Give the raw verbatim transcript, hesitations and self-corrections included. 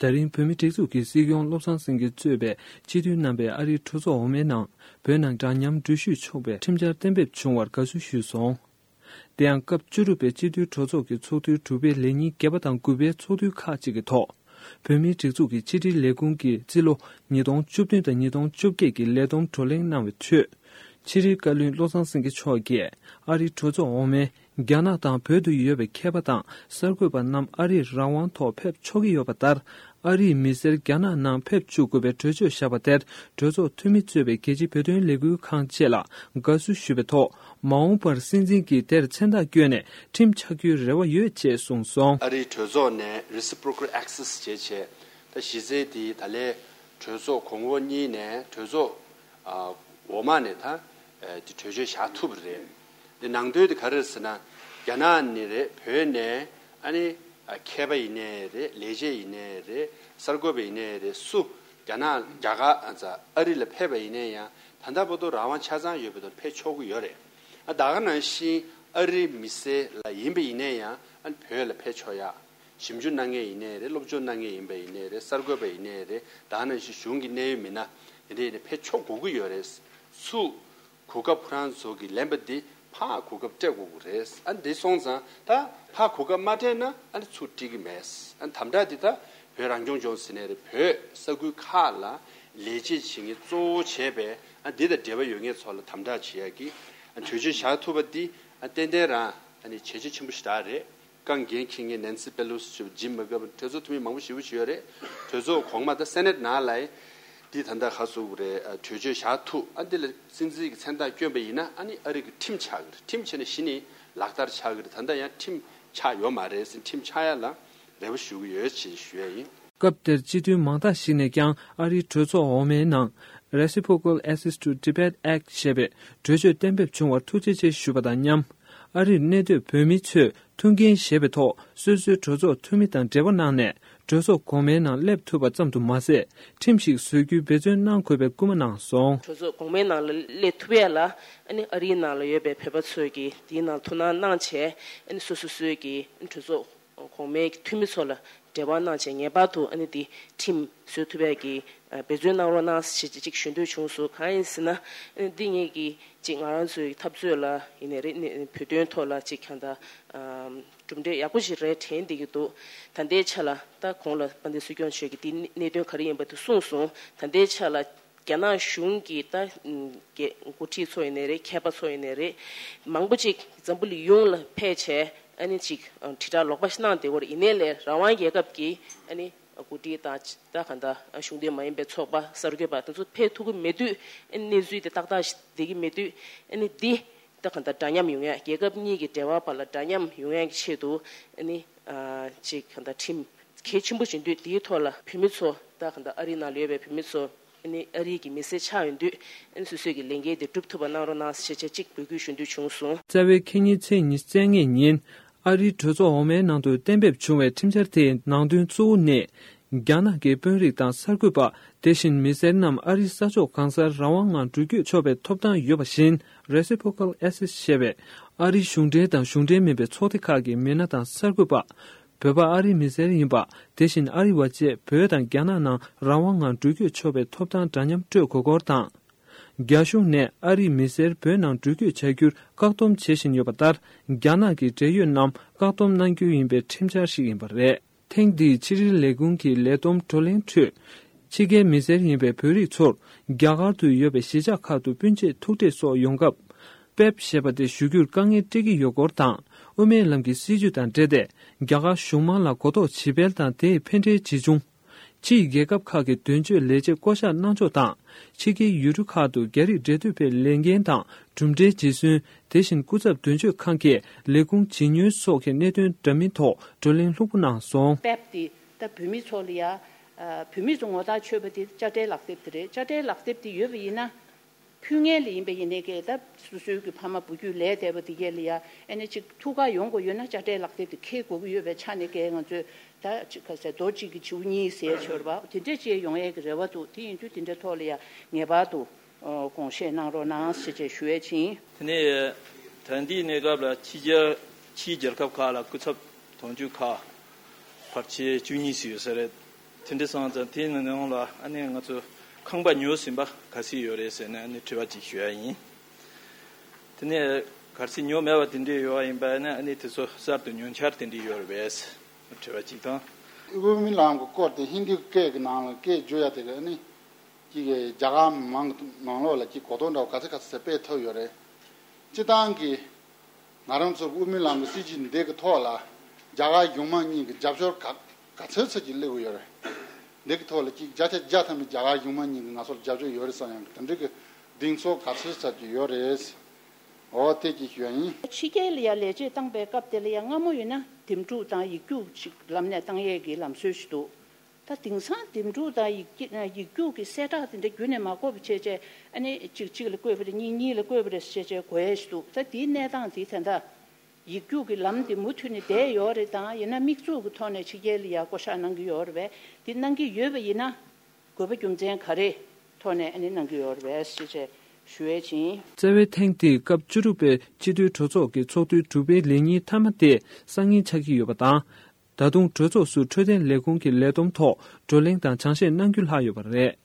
ད་རིང་བོད་མིའི་སྒྲིག་འཛུགས་ཀྱི་སྲིད་སྐྱོང་བློ་བཟང་སེང་གེ་གཙོས་པའི་སྤྱི་འཐུས་རྣམ་པས་ཨ་རིའི་གྲོས་ཚོགས་འོག་མའི་ནང་བོད་ནང་འདྲ་མཉམ་འགྲུལ་བཞུད་ཆོག་པའི་ཁྲིམས་འཆར་གཏན་འབེབས་བྱུང་བར་དགའ་བསུ་ཞུས་སོང་། དེ་ཡང་སྐབས་བཅུ་དྲུག་པའི་སྤྱི་འཐུས་གྲོས་ཚོགས་ཀྱི་ཚོགས་དུས་དྲུག་པའི་ལས་ཉིན་བརྒྱད་པ་དང་དགུ་པའི་ཚོགས་དུས་ཁག་ཅིག་གི་ཐོག་བོད་མིའི་སྒྲིག་འཛུགས་ཀྱི་ཕྱི་དྲིལ་ལས་ཁུངས་ཀྱིས་རྩིས་ལོ་ཉིས་སྟོང་བཅུ་བདུན་དང་ཉིས་སྟོང་བཅོ་བརྒྱད་ཀྱི་ལས་བསྡོམས་བགྲོ་གླེང་གནང་བའི་ཁྲོད། ཕྱི་དྲིལ་བཀའ་བློན་བློ་བཟང་སེང་གེ་མཆོག་གིས་ཨ་རིའི་གྲོས་ཚོགས་འོག་མའི་རྒྱ་ནག་དང་བོད་དུ་ཡོད་པའི་མཁས་པ་དང་གསར་འགོད་པ་རྣམས་ཨ་རིར་རང་དབང་ཐོག་ཕེབས་ཆོག་གི་ཡོད་པ་ལྟར། ཨ་རིའི་མི་སེར་རྒྱ་ནག་ནང་ཕེབས་བཅུག་དགོས་པའི་གྲོས་ཆོད་བཞག་པ་དེར་གྲོས་ཚོགས་འཐུས་མི་གཙོས་པའི་རྒྱལ་སྤྱིའི་བོད་དོན་ལས་འགུལ་ཁང་བཅས་ལ་དགའ་བསུ་ཞུས་པའི་ཐོག་མ་འོངས་པར་སྲིད་འཛིན་གྱིས་དེར་མཚན་རྟགས་བསྐྱོན་ནས་ཁྲིམས་ཆགས་རྒྱུའི་རེ་བ་ཡོད་ཅེས་གསུངས་སོང་། ཨ་རིའི་གྲོས་ཚོགས་ནས་reciprocal access བྱས་བྱས། ད་གཞི་རྩའི་དེའི་ད་ལན་གྲོས་ཚོགས་གོང་འོག་གཉིས་ནས་གྲོས་ཚོགས་ཨ་འོག་མ་ནས་ད་ཨ་དེ་གྲོས་ཆོད་བཞག་ཐུབ་པ་རེད། དེ་ནང་དོན་དེ་ག་རེ་རེད་ཟེར་ན། རྒྱ་ནག་ནས་རེད། བོད་ནས་ཨ་ནི་ཨ་མཁས་པ་ཡིན་ནའི་རེད། ལས་བྱེད་ཡིན་ནའི་རེད། གསར་འགོད་པ་ཡིན་ནའི་རེད། སུ་རྒྱ་ནག་རྒྱ་གར་ཨ་ཙ་ཨ་རི་ལ་ཕེབས་པ་ཡིན་ནའི་ཡང་ད་ལྟ་བར་དུ་རང་དབང་ཆ་ཚང་ཡོད་པའི་ཐོག་ཕེབས་ཆོག་གི་ཡོད་རེད། ཨ་ད་ག་ནང་བཞིན་ཨ་རིའི་མི་སེར་ལ་ཡིན་པ་ཡིན་ནའི་ཡང་ཨ་ནི་བོད་ལ་ཕེབས་ཆོག་ཡ། ཞིབ་འཇུག་གནང་མཁན་ཡིན་ནའི་རེད། སློབ་སྦྱོང་གནང་མཁན་ཡིན་པ་ཡིན་ནའི་རེད། གསར་འགོད་པ་ཡིན་ནའི་རེད། ད་ག་ནང་བཞིན་གཞུང་གི་གནད་ཡོད་མི་སྣ་དེ་འདྲ་ཡིན་ནའི་ཕེབས་ཆོག་དགོས་ཀྱི་ཡོད་རེད། ཚུར་གོ་སྐབས་ཁོ་རང་ཚོ་གིས་ལེན་པ་འདི་ཕར་གོ་སྐབས་སྤྲད་དགོས་ཀྱི་རེད། ཨ་འདི་སོང་ཙང་ད་ཕར་གོ་སྐབས་མ་སྤྲད་ན་ཨ་ནི་ཚུར་སྤྲད་ཀྱི་མེད། ཨ་དམ་དྲག་འདི་ད་བོད་རང་སྐྱོང་ལྗོངས་ཟེར་ནའི་རེད། བོད་ས་ཁུལ་ཁག་ལ་ལས་བྱེད་བྱེད་མཁན་གཙོ་བོ་བྱས་པའི་ཨ་འདི་དང་འབྲེལ་བ་ཡོད་མཁན་ཚོ་ལ་དམ་དྲག་བྱེད་ཡག་གི་ཨ་གྲོས་ཆོད་བཞག་ཐུབ་པ་འདི་ཨ་ཏན་ཏན་རང་ཨ་ནི་བྱས་རྗེས་ཆེན་པོ་ཞེ་དྲག་རེད། རྐང་འགན་འཁྱེར་མཁན་ནན་སི་པེ་ལོ་སི་ཞེས་པ། ཇིམ་མེ་ཀར་པན། གྲོས་ཚོགས་འཐུས་མི་མང་པོ་ཞེ་པོ་ཅིག་ཡོད་རེད། གྲོས་ཚོགས་གོང་མ་དང་སེ་ནེ་ཊི་ནང་ལ་འདི་ད་ལྟ་ག་ཟེར་དགོས་རེད། ཨ་གྲོས་ཆོད་བཞག་ཐུབ། ཨ་འདི་ལ་སྲིད་འཛིན་གྱི་མཚན་རྟགས་བསྐྱོན་པ་ཡིན་ན་ཨ་ནི་ཨ་རི་གི་ཁྲིམས་ཆགས་ཀྱི་རེད། ཁྲིམས་བྱས་ནས་གཞི་ནས་ལག་བསྟར་ཆགས་ཀྱི་རེད། ད་ལྟ་ཡང་ཁྲིམས་ཆགས་ཡོད་མ་རེད་ཟེར། ཁྲིམས་ཆགས་ཡ་ལ་རེ་བ་ཞུ་གི་ཡོད་ཅེས་ཞུ་ཡ་ཡིན། སྐབས་དེར་སྤྱི་འཐུས་མང་དག་ཞིག་ནས་ཀྱང་ཨ་རིའི་གྲོས་ཚོགས་འོག་མའི་ནང་Reciprocal Access to Tibet Act ཞེས་པའི་གྲོས་ཆོད་གཏན་འབེབས་བྱུང་བར་ཐུགས་རྗེ་ཆེ་ཞུས་པ་དང་མཉམ། ཨ་རིར་གནས་སྡོད་བོད་མི་ཚོས་ཐུགས་འགན་བཞེས་པའི་ཐོག་སོ་སོའི་གྲོས་ཚོགས་འཐུས་མི་དང་འབྲེལ་བ་གནང་ནས་གྲོས་ཚོགས་གོང་མའི་ནང་སླེབས་ཐུབ་པ་ཙམ་དུ་མ་ཟད། ཁྲིམས་ཤིག་བཟོ་རྒྱུའི་འབད་བརྩོན་གནང་དགོས་པའི་སྐུལ་མ་གནང་སོང་། གྲོས་ཚོགས་གོང་མའི་ནང་ལ་སླེབས་ཐུབ་ཡ་ལ་ཨ་ནི་ཨ་རིའི་ནང་ལ་ཡོད་པའི་བོད་པ་ཚོས་ཀྱིས་དེའི་ནང་ཐུགས་སྣང་གནང་བྱས། ཨ་ནི་སོ་སོ་སོའི་གི་གྲོས་ཚོགས་གོང་མའི་འཐུས་མི་ཚོ་ལ་འབྲེལ་བ་གནང་བྱས། ངེས་པར་དུ་ཨ་ནི་དེ་ཁྲིམས་བཟོ་ཐུབ་ཡ་གི་འབད་བརྩོན་གནང་རོགས་གནང་ཞེས་ཅིག་ཞུ་འདོད་བྱུང་སོང་། གང་ཡིན་ཟེར་ན། ཨ་ནི་འདི་ངེད་ཀྱི་ཅིག་ང་རང་ཚོའི་འཐབ་རྩོད་ལ་ཡིན་ནའི་རེད། ནི་བོད་དོན་ཐོག་ལ་ཅིག་གང་ལྟར་གྲུབ་འབྲས་ཡག་པོ་ཞིག་རེད་དྲན་བསྡད་ཀྱི་འདུག། ད་ལྟའི་ཆ་ལ་ད་གོང་ལ་དཔལ་ལྡན་སྲིད་སྐྱོང་མཆོག་གིས་འདི་གནད་དོན་ག་རེ་ཡིན་པ་དེ་གསུངས་སོང་། ད་ལྟའི་ཆ་ལ་རྒྱ་ནག་གཞུང་གི་ད་འགོ་ཁྲིད་ཚོ་ཡིན་ནའི་རེད། མཁས་པ་ཚོ་ཡིན་ནའི་རེད། མང་པོ་ཅིག་འཛམ་བུ་གླིང་ཡོངས་ལ་ཕེབས་བྱས་ཨ་ནི་ཅིག་དྲིལ་བསྒྲགས་ལོག་པ་ཞིག་གནང་བསྡད་ཡོད་རེད། ཡིན་ནའི་ལས་རང་དབང་རྒྱལ་ཁབ་ཀྱི་ཨ་ནི་འགོ་ཁྲིད་དང་ད་གང་ལྟར་གཞུང་འབྲེལ་མ་ཡིན་པའི་ཚོགས་པ། གསར་འགོད་པ་དེ་ཚོ་ཕེབས་ཐུབ་ཀྱི་མེད་དུས། ཨ་ནི་གནས་ཚུལ་དེ་ཏག་ཏག་ཞིག་བསྡད་ཀྱི་མེད་དུས། ཨ་ནི་འདི་ད་གང་ལྟར་འདྲ་མཉམ་ཡོང་ཡ། རྒྱལ་ཁབ་གཉིས་ཀྱི་འབྲེལ་བ་བར་ལ་འདྲ་མཉམ་ཡོང་ཡ་གི་ཆེད་དུ། ཨ་ནི་ཨ་ཅིག་གང་ལྟར་ཁྲིམས་གལ་ཆེན་པོ་ཞིག་ཡིན་དུས། དེའི་ཐོག་ལ་བོད་མི་ཚོ་ད་གང་ལྟར་ཨ་རིའི་ནང་ལ་ཡོད་པའི་བོད་མི་ཚོ་ཨ་ནི་ཨ་རིའི་གི་མི་སེར་ཆགས་ཡོང་དུས། ཨ་ནི་སོ་སོའི་གི་ལས་འགན་དེ་སྒྲུབ་ཐུབ་པ་གནང་རོགས་གནང་ཞེས་བྱས་ཅིག་འབོད་སྐུལ་ཞུ་འདོད་བྱུང་སོང་། རྩ་བའི་ཁེ་ཉིན་ཚེས་ཉི་ཤུ་རྩ་ལྔའི་ཉིན། ཨ་རིའི་གྲོས་ཚོགས་འོག་མའི་ནང་དུ་གཏན་འབེབས་བྱུང་བའི་ཁྲིམས་འཆར་དེའི་ནང་དོན་གཙོ་བོ་ནི། རྒྱ་ནག་གི་དཔོན་རིགས་དང་གསར་འགོད་པ། དེ་བཞིན་མི་སེར་རྣམས་ཨ་རིའི་ས་ཕྱོགས་གང་སར་རང་དབང་ངང་འགྲུལ་སྐྱོད་ཆོག་པའི་ཐོབ་ཐང་ཡོད་པ་བཞིན། Reciprocal Access ཞེས་པའི་ཨ་རིའི་གཞུང་འབྲེལ་དང་གཞུང་འབྲེལ་མིན་པའི་ཚོགས་སྡེ་ཁག་གི་མི་སྣ་དང་གསར་འགོད་པ། བོད་པ་ཨ་རིའི་མི་སེར་ཡིན་པ། དེ་བཞིན་ཨ་རི་བ་བཅས་བོད་དང་རྒྱ་ནག་ནང་རང་དབང་ངང་འགྲུལ་སྐྱོད་ཆོག་པའི་ཐོབ་ཐང་འདྲ་མཉམ་སྤྲོད་དགོས་སྐོར་དང་། རྒྱ་གཞུང་ནས་ཨ་རིའི་མི་སེར་བོད་ནང་འགྲུལ་སྐྱོད་བྱ་རྒྱུར་བཀག་སྡོམ་བྱེད་བཞིན་ཡོད་པ་ལྟར། རྒྱ་ནག་གི་འབྲེལ་ཡོད་རྣམས་བཀག་སྡོམ་གནང་རྒྱུ་ཡིན་པའི་ཁྲིམས་འཆར་ཞིག་ཡིན་པ་རེད། ཐེངས་འདིའི་ཕྱི་དྲིལ་ལས་ཁུངས་ཀྱི་ལས་བསྡོམས་བགྲོ་གླེང་ཁྲོད། ཕྱི་རྒྱལ་མི་སེར་ཡིན་པའི་བོད་རིགས་ཚོར་རྒྱ་གར་དུ་ཡོད་པའི་གཞིས་ཆགས་ཁག་ཏུ་སྤུན་མཆེད་ཐུག་འཕྲད་སོགས་ཡོང་སྐབས། པེབ་ཞེས་པ་དེ་ཞུ་རྒྱུར་དཀའ་ངལ་འཕྲད་ཀྱི་ཡོད་སྐོར་དང་། དབུ་མའི་ལམ་གྱི་སྲིད་བྱུས་དང་འབྲེལ་ཏེ། རྒྱ་གར་གཞུང་མང་ལ་གོ་རྟོགས་ཇི་སྤེལ་དང་དེས་ཕན་འབྲས་ཇི་བྱུང་། ཕྱིའི་རྒྱལ་ཁབ་ཁག་གི་དོན་གཅོད་ལས་བྱེད་བསྐོ་གཞག་གནང་ཕྱོགས་དང་། ཕྱི་རྒྱལ་ཡུལ་གྲུ་ཁག་ཏུ་རྒྱ་རིགས་འབྲེལ་མཐུད་པའི་ལས་འགན་དང་གྲུབ་འབྲས་ཇི་སོན། དེ་བཞིན་སྐུ་ཚབ་དོན་གཅོད་ཁང་གིས་ལས་ཁུངས་ཇི་ཉུལ་སོགས་ཀྱི་གནད་དོན་འདྲ་མིན་ཐོག་བགྲོ་གླེང་ལྷུག་པོ་གནང་སོང་། པེབ་དེ་ད་བོད་མི་ཚོ་ལ་ཡ། ཨ། བོད་མི་ཚོ་ངོ་ཐག་ཆོད་པ་དེ་དཔྱ་ཁྲལ་ལག་དེབ་དེ་རེད། དཔྱ་ཁྲལ་ལག་དེབ་དེ་ཡོད་པ་ཡིན་ན། ཕུལ་མཁན་ལ་ཡིན་པ་ཡིན་ནའི་ཀྱེ། ད་སོ་སོའི་གི་ཕ་མ་བུ་རྒྱུད་ལས་འདས་པ་དེ་གས་ལ་ཡ། ཨ་ནི་ཅིག་ཐུགས་ཁུར་ཡོང་དགོས་ཡོད་ན་དཔྱ་ཁྲལ་ལག་དེབ་དེ་འཁྱེར་དགོས་ཀྱི་ཡོད་པའི་ཆ་ནས་ཀྱེ། ང་ཚོས་ད་ཅིག་ག་ཟེར། རྡོ་གཅིག་གིས་བྱེའུ་གཉིས་བཟས་ཆོག་པ་དེ་འདྲས་ཅིག་ཡོང་ཡས་ཀྱི་རེ་བ་འདུག། དེ་ཡིན་དུས་དེ་འདྲའི་ཐོག་ལ་ཡ་ངེས་པར་དུ་ཨ་དགོངས་བཞེས་གནང་རོགས་གནང་ཞེས་བཅས་ཞུ་ཡས་ཕྱིན། དེ་ནས་ད་ལྟའི་གནས་སྐབས་ལ་ཕྱི་རྒྱལ་ཕྱིའི་རྒྱལ་ཁབ་ཁག་ལ་སྐུ་ཚབ་དོན་གཅོད་ཁག་ཕལ་ཆེར་བཅུ་གཉིས་ཙམ་ཡོད་ས་རེད། དེ་འདྲ་སོང་ཙང་དེའི་ནང་ལ་ཨ་ནི་ང་ཚོ་ཁང་པ་ཉོ་ཟིན་པ་ག་ཚོད་ཡོད་རེད་ཟེར་ནས་ཨ་ནི་དྲི་བ་ཅིག་ཞུ་ཡ་ཡིན། དེ་ནས་གལ་སྲིད་ཉོ་མེད་པ་དེ་འདྲ་ཡོད་པ་ཡིན་པ་ཡིན་ན་ཨ་ནི་དེ་ཚོ་གསར་དུ་ཉོ་འཆར་དེ་འདྲ་ཡོད་རེད་པས་དྲི་བ་གཅིག་དང་། དབུ་མའི་ལམ་གྱི་སྐོར་དེ་ཧིན་རྡུའི་སྐད་ཀྱི་ནང་ལ་སྐད་བརྗོད་ཡ་དེ་ག་ནི་ཅིག་རྒྱ་གར་མང་གི་ནང་ལོགས་ལ་ཅིག་གོ་རྟོགས་འདྲ་བོ་ག་ཚོད་ག་ཚོད་ཟེར་སྤེལ་ཐུབ་ཡོད་རེད། སྤྱིར་བཏང་གི་ང་རང་ཚོ་དབུ་མའི་ལམ་གྱི་སྲིད་བྱུས་འདི་གི་ཐོག་ལ་རྒྱ་གར་གཞུང་མང་གཉིས་ཀྱི་རྒྱབ་སྐྱོར་ག་ག་ཚོད་ཚོད་ཅིག་སླེབས་ཀྱི་ཡོད་རེད། འདི་གི་ཐོག་ལ་ཅིག་བརྒྱ་ཆ་བརྒྱ་ཐམ་པའི་རྒྱ་གར་གཞུང་མང་གཉིས་ཀྱིས་ང་ཚོར་རྒྱབ་སྐྱོར་ཡོད་རེད་བསམ་ཡང་གི་དེ་འདྲའི་གི་གདེང་ཚོད་ག་ཚོད་ཚོད་ཅིག་ཡོད་རེད། འོ་དེ་ཅིག་ཞུ་ཡ་ཡིན། ཕྱི་རྒྱལ་ལ་ཡ་ལས་བྱེད་བཏང་པའི་སྐབས་དེ་ལ་ཡ་སྔ་མོ་ཡིན་ན་འདེམས་སྒྲུག་དང་ཡིག་རྒྱུགས་ཅིག་ལམ་ནས་བཏང་ཡས་ཀྱི་ལམ་སྲོལ་ཞིག་འདུག་ད་དེང་སང་འདེམས་སྒྲུག་དང་ཡིག་ཡིག་རྒྱུགས་ཀྱི་གསལ་བསྒྲགས་དེ་འདྲ་བརྒྱུད་ནས་མ་དགོས་པ་བྱས་བྱས་ཨ་ནི་གཅིག་གཅིག་ལ་བཀོད་པ་རེད། གཉིས་གཉིས་ལ་བཀོད་པ་རེད་བྱས་བྱས་དགོས་ཡས་ཞིག་འདུག་ད་དེའི་གནས་སྟངས་དེ་ད་ལྟ་ཡིག་རྒྱུགས་ཀྱི་ལམ་དེ་མུ་མཐུད་ནས་བསྡད་ཡོད་རེད། དང་ཡིན་ན་དམིགས་འཛུགས་ཀྱི་ཐོག་ནས་ཕྱི་རྒྱལ་ལ་ཡ་བསྐོ་བཞག་གནང་གི་ཡོད་རེད་པས། དེ་གནང་གི་ཡོད་པ་ཡིན་ན་དགོས་པ་རྒྱུ་མཚན་ག་རེ་ཐོག་ནས་ཨ་ནི་གནང་གི་ཡོད་རེད་པས་ཞེས་བྱས་ཞུ་ཡས་ཡིན། རྩ་བའི་ཐེངས་འདིའི་སྐབས་བཅུ་དྲུག་པའི་སྤྱི་འཐུས་གྲོས་ཚོགས་ཀྱི་ཚོགས་དུས་དྲུག་པའི་ལས་ཉིན་མཐའ་མ་དེ་སང་ཉིན་ཆགས་ཀྱི་ཡོད་པ་དང་། ད་དུང་གྲོས་ཚོགས་སུ་འཕྲོད་བསྟེན་ལས་ཁུངས་ཀྱི་ལས་བསྡོམས་ཐོག་བགྲོ་གླེང་དང་སྦྱང་བཤད་གནང་རྒྱུ་ལྷག་ཡོད་པ་རེད།